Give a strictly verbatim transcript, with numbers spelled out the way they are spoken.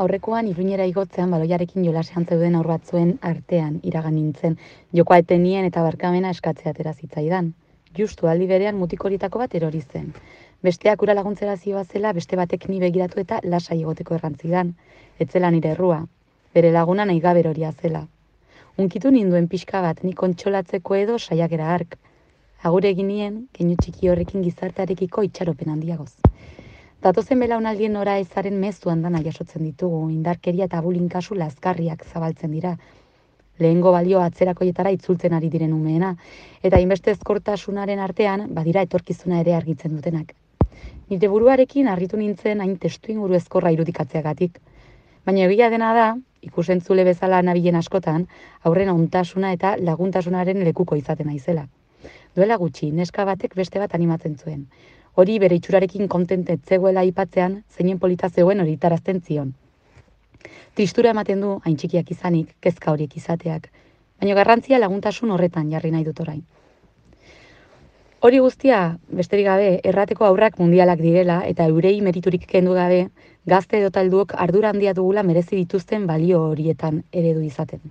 Aurrekoan Iruñera igotzean baloiarekin jolasean zeuden aur batzuen artean iragan nintzen, jokoa etenien eta barkamena eskatzea atera zitzaidan. Justu aldi berean mutikoritako bat erori zen. Besteak ura laguntzera zihoazela beste batek ni begiratu eta lasai egoteko errantzidan. Etzela nire errua, bere laguna nahi gabe eroria zela. Unkitu ninduen pixka bat nik kontsolatzeko edo saiakera hark. Agure egin nien, keinu txiki horrekin gizartearekiko itxaropen handiagoz. Datozen belaunaldien nora ezaren mezu andana jasotzen ditugu, indarkeria eta bullying kasu lazkarriak zabaltzen dira. Lehengo balio atzerakoietara itzultzen ari diren umeena, eta inbeste ezkortasunaren artean badira etorkizuna ere argitzen dutenak. Nire buruarekin harritu nintzen hain testu inguru ezkorra irudikatzeagatik. Baina egia dena da, ikusentzule bezala nabilen askotan, aurren ontasuna eta laguntasunaren lekuko izaten naizela. Duela gutxi, neska batek beste bat animatzen zuen. Hori bere itxurarekin kontent ez zegoela aipatzean, zeinen polita zegoen hori tarazten zion. Tristura ematen du, hain txikiak izanik, kezka horiek izateak, baina garrantzia laguntasun horretan jarri nahi dut orain. Hori guztia, besterik gabe, errateko aurrak mundialak direla eta eurei meriturik kendu gabe, gazte edo talduok ardura handia dugula merezi dituzten balio horietan eredu izaten.